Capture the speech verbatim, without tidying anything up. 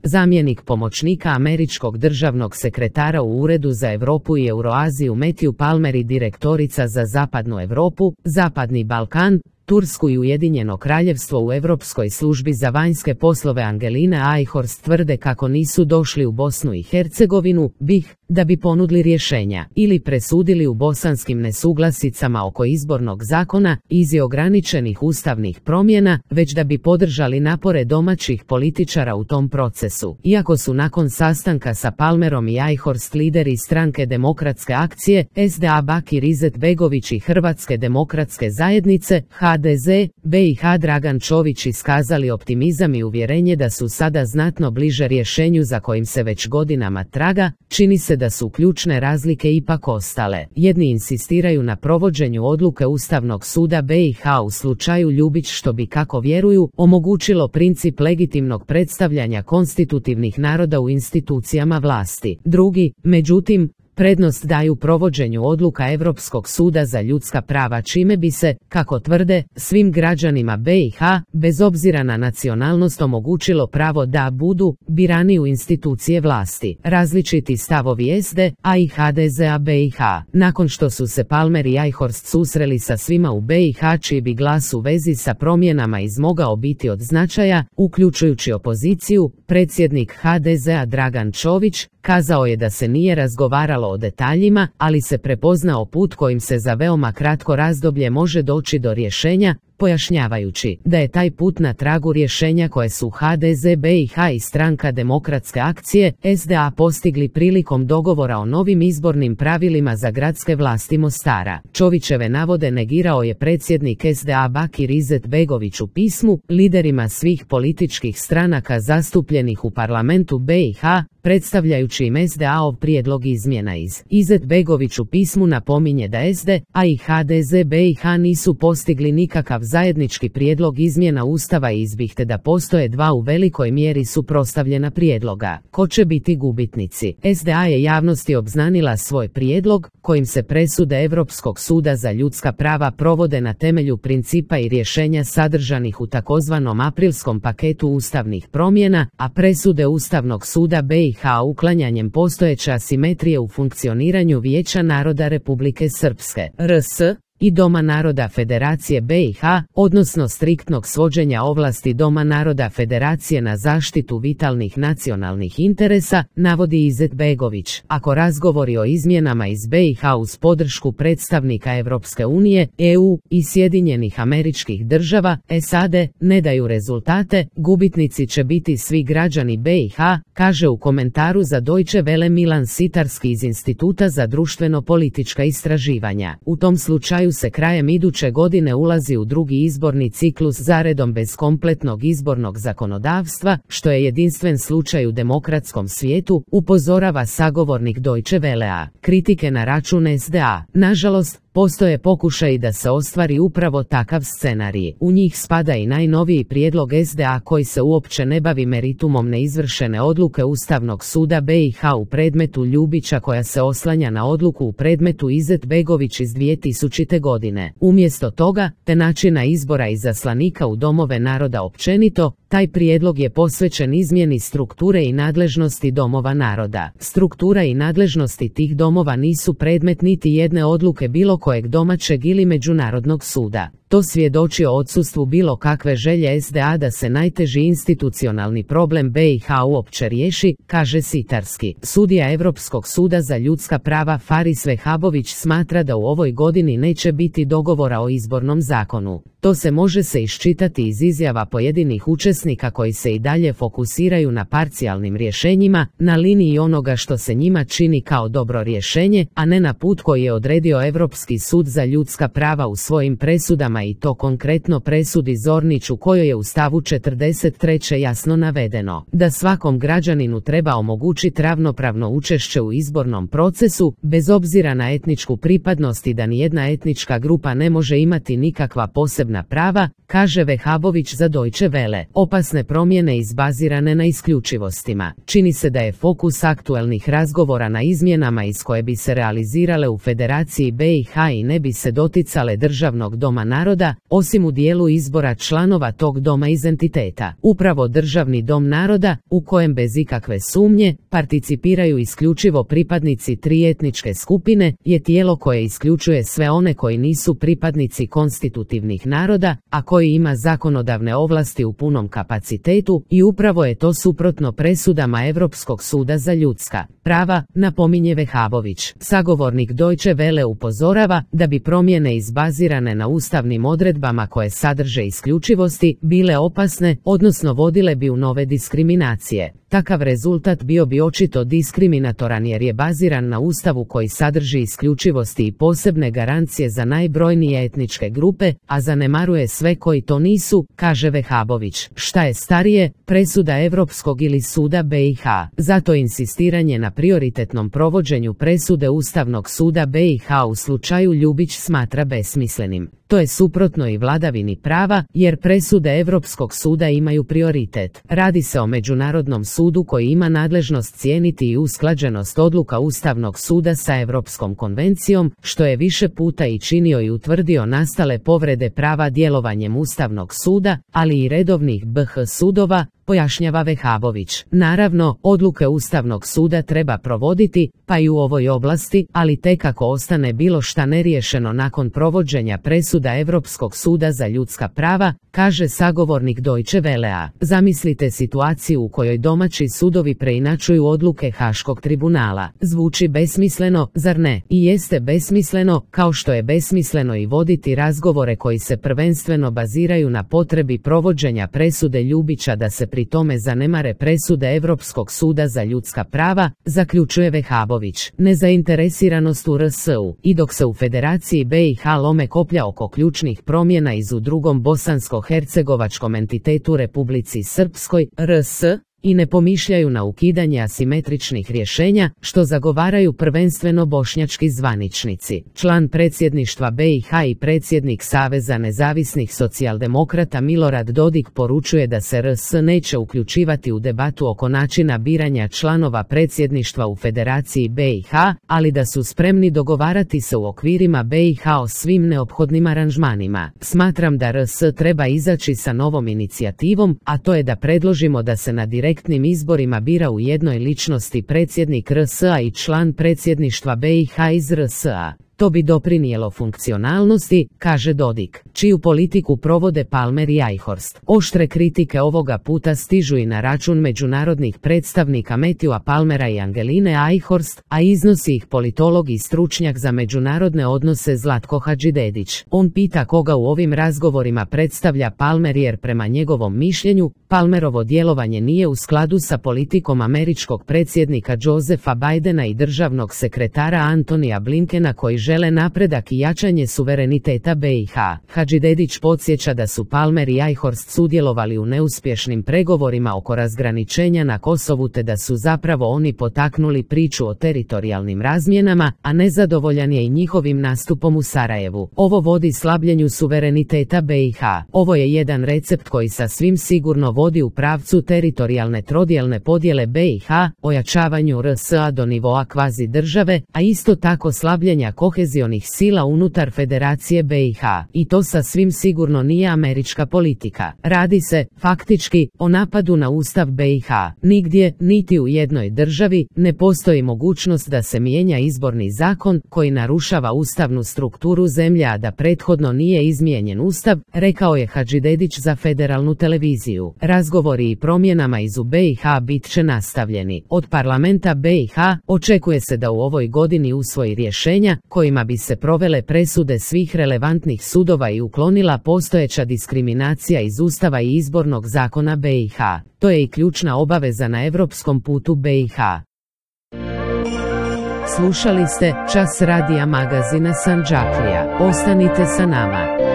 Zamjenik pomoćnika američkog državnog sekretara u Uredu za Europu i Euroaziju Matthew Palmer i direktorica za Zapadnu Europu, Zapadni Balkan, Tursku i Ujedinjeno Kraljevstvo u Europskoj službi za vanjske poslove Angelina Eichhorst tvrde kako nisu došli u Bosnu i Hercegovinu, B i H, da bi ponudili rješenja ili presudili u bosanskim nesuglasicama oko izbornog zakona iz ograničenih ustavnih promjena, već da bi podržali napore domaćih političara u tom procesu. Iako su nakon sastanka sa Palmerom i Eichhorst lideri stranke Demokratske akcije, S D A Bakir Izetbegović i Hrvatske demokratske zajednice, H D Z, B i H Dragan Čović iskazali optimizam i uvjerenje da su sada znatno bliže rješenju za kojim se već godinama traga, čini se da su ključne razlike ipak ostale. Jedni insistiraju na provođenju odluke Ustavnog suda B i H u slučaju Ljubić što bi, kako vjeruju, omogućilo princip legitimnog predstavljanja konstitutivnih naroda u institucijama vlasti. Drugi, međutim, prednost daju provođenju odluka Europskog suda za ljudska prava čime bi se, kako tvrde, svim građanima B i H, bez obzira na nacionalnost omogućilo pravo da budu birani u institucije vlasti. Različiti stavovi S D A i H D Z-a B i H. Nakon što su se Palmer i Eichhorst susreli sa svima u B i H čiji bi glas u vezi sa promjenama izmogao biti od značaja, uključujući opoziciju, predsjednik H D Z-a Dragan Čović kazao je da se nije razgovaralo o detaljima, ali se prepoznao put kojim se za veoma kratko razdoblje može doći do rješenja, pojašnjavajući da je taj put na tragu rješenja koje su H D Z B i H i stranka Demokratske akcije S D A postigli prilikom dogovora o novim izbornim pravilima za gradske vlasti Mostara. Čovićeve navode negirao je predsjednik S D A Bakir Izetbegović u pismu liderima svih političkih stranaka zastupljenih u parlamentu B i H, predstavljajući im S D A-ov prijedlog izmjena iz. Izetbegović u pismu napominje da S D A i H D Z B i H nisu postigli nikakav zajednički prijedlog izmjena Ustava i izbih da postoje dva u velikoj mjeri suprotstavljena prijedloga. Ko će biti gubitnici? S D A je javnosti obznanila svoj prijedlog, kojim se presude Europskog suda za ljudska prava provode na temelju principa i rješenja sadržanih u takozvanom aprilskom paketu ustavnih promjena, a presude Ustavnog suda B i H uklanjanjem postojeće asimetrije u funkcioniranju Vijeća naroda Republike Srpske R S i Doma naroda Federacije B i H, odnosno striktnog svođenja ovlasti Doma naroda Federacije na zaštitu vitalnih nacionalnih interesa, navodi Izetbegović. Ako razgovori o izmjenama iz B i H uz podršku predstavnika Europske unije, E U i Sjedinjenih Američkih Država, S A D, ne daju rezultate, gubitnici će biti svi građani B i H, kaže u komentaru za Deutsche Welle Milan Sitarski iz Instituta za društveno-politička istraživanja. U tom slučaju se krajem iduće godine ulazi u drugi izborni ciklus zaredom bez kompletnog izbornog zakonodavstva, što je jedinstven slučaj u demokratskom svijetu, upozorava sagovornik Deutsche Wellea. Kritike na račun S D A. Nažalost, postoje pokušaji da se ostvari upravo takav scenarij. U njih spada i najnoviji prijedlog S D A koji se uopće ne bavi meritumom neizvršene odluke Ustavnog suda B i H u predmetu Ljubića koja se oslanja na odluku u predmetu Izetbegović iz dvije tisućite. godine. Umjesto toga, te načina izbora izaslanika u domove naroda općenito, taj prijedlog je posvećen izmjeni strukture i nadležnosti domova naroda. Struktura i nadležnosti tih domova nisu predmet niti jedne odluke bilo kojeg domaćeg ili međunarodnog suda. To svjedoči o odsustvu bilo kakve želje S D A da se najteži institucionalni problem B i H uopće riješi, kaže Sitarski. Sudija Europskog suda za ljudska prava Faris Vehabović smatra da u ovoj godini neće biti dogovora o izbornom zakonu. To se može se iščitati iz izjava pojedinih učesnika koji se i dalje fokusiraju na parcijalnim rješenjima, na liniji onoga što se njima čini kao dobro rješenje, a ne na put koji je odredio Europski sud za ljudska prava u svojim presudama i to konkretno presudi Zornić u kojoj je u stavu četrdeset tri jasno navedeno da svakom građaninu treba omogućiti ravnopravno učešće u izbornom procesu, bez obzira na etničku pripadnost i da nijedna etnička grupa ne može imati nikakva posebna prava, kaže Vehabović za Deutsche Welle. Opasne promjene izbazirane na isključivostima. Čini se da je fokus aktuelnih razgovora na izmjenama iz koje bi se realizirale u Federaciji B i H i ne bi se doticale Državnog doma naroda naroda, osim u dijelu izbora članova tog doma iz entiteta. Upravo Državni dom naroda, u kojem bez ikakve sumnje participiraju isključivo pripadnici tri etničke skupine, je tijelo koje isključuje sve one koji nisu pripadnici konstitutivnih naroda, a koji ima zakonodavne ovlasti u punom kapacitetu, i upravo je to suprotno presudama Europskog suda za ljudska prava, napominje Vehabović. Sagovornik Deutsche Welle upozorava da bi promjene izbazirane na ustavnim odredbama koje sadrže isključivosti bile opasne, odnosno vodile bi u nove diskriminacije. Takav rezultat bio bi očito diskriminatoran jer je baziran na ustavu koji sadrži isključivosti i posebne garancije za najbrojnije etničke grupe, a zanemaruje sve koji to nisu, kaže Vehabović. Šta je starije, presuda Europskog ili suda B i H? Zato insistiranje na prioritetnom provođenju presude Ustavnog suda B i H u slučaju Ljubić smatra besmislenim. To je suprotno i vladavini prava, jer presude Europskog suda imaju prioritet. Radi se o međunarodnom sudu koji ima nadležnost cijeniti i usklađenost odluka Ustavnog suda sa Europskom konvencijom, što je više puta i činio i utvrdio nastale povrede prava djelovanjem Ustavnog suda, ali i redovnih B H sudova, pojašnjava Vehabović. Naravno, odluke Ustavnog suda treba provoditi, pa i u ovoj oblasti, ali tek ako ostane bilo šta neriješeno nakon provođenja presuda Europskog suda za ljudska prava, kaže sagovornik Deutsche Wellea. Zamislite situaciju u kojoj domaći sudovi preinačuju odluke Haškog tribunala. Zvuči besmisleno, zar ne? I jeste besmisleno, kao što je besmisleno i voditi razgovore koji se prvenstveno baziraju na potrebi provođenja presude Ljubića da se pri tome zanemare presude Europskog suda za ljudska prava, zaključuje Vehabović. Nezainteresiranost u R S U. I dok se u Federaciji B i H lome koplja oko ključnih promjena iz u drugom bosansko-hercegovačkom entitetu Republici Srpskoj, R S, i ne pomišljaju na ukidanje asimetričnih rješenja, što zagovaraju prvenstveno bošnjački zvaničnici. Član predsjedništva B i H i predsjednik Saveza nezavisnih socijaldemokrata Milorad Dodik poručuje da se R S neće uključivati u debatu oko načina biranja članova predsjedništva u Federaciji B i H, ali da su spremni dogovarati se u okvirima B i H o svim neophodnim aranžmanima. Smatram da R S treba izaći sa novom inicijativom, a to je da predložimo da se na direktnim izborima bira u jednoj ličnosti predsjednik R S A i član predsjedništva B i H iz R S A. To bi doprinijelo funkcionalnosti, kaže Dodik, čiju politiku provode Palmer i Eichhorst. Oštre kritike ovoga puta stižu i na račun međunarodnih predstavnika Matthewa Palmera i Angeline Eichhorst, a iznosi ih politolog i stručnjak za međunarodne odnose Zlatko Hadžidedić. On pita koga u ovim razgovorima predstavlja Palmer jer prema njegovom mišljenju, Palmerovo djelovanje nije u skladu sa politikom američkog predsjednika Josepha Bidena i državnog sekretara Antonija Blinkena koji žele napredak i jačanje suvereniteta B i H. Hadžidedić podsjeća da su Palmer i Eichhorst sudjelovali u neuspješnim pregovorima oko razgraničenja na Kosovu te da su zapravo oni potaknuli priču o teritorijalnim razmjenama, a nezadovoljan je i njihovim nastupom u Sarajevu. Ovo vodi slabljenju suvereniteta B i H. Ovo je jedan recept koji sasvim sigurno vodi u pravcu teritorijalne trodjelne podjele B i H, ojačavanju R S A do nivoa kvazi države, a isto tako slabljenja kohezionih sila unutar Federacije B i H. I to sasvim sigurno nije američka politika. Radi se, faktički, o napadu na Ustav B i H. Nigdje, niti u jednoj državi, ne postoji mogućnost da se mijenja izborni zakon koji narušava ustavnu strukturu zemlje a da prethodno nije izmijenjen Ustav, rekao je Hadžidedić za federalnu televiziju. Razgovori i promjenama iz u B i H bit će nastavljeni. Od parlamenta B i H očekuje se da u ovoj godini usvoji rješenja kojima bi se provele presude svih relevantnih sudova i uklonila postojeća diskriminacija iz Ustava i izbornog zakona B i H. To je i ključna obaveza na europskom putu B i H. Slušali ste Čas radija magazina Sandžaklija. Ostanite sa nama.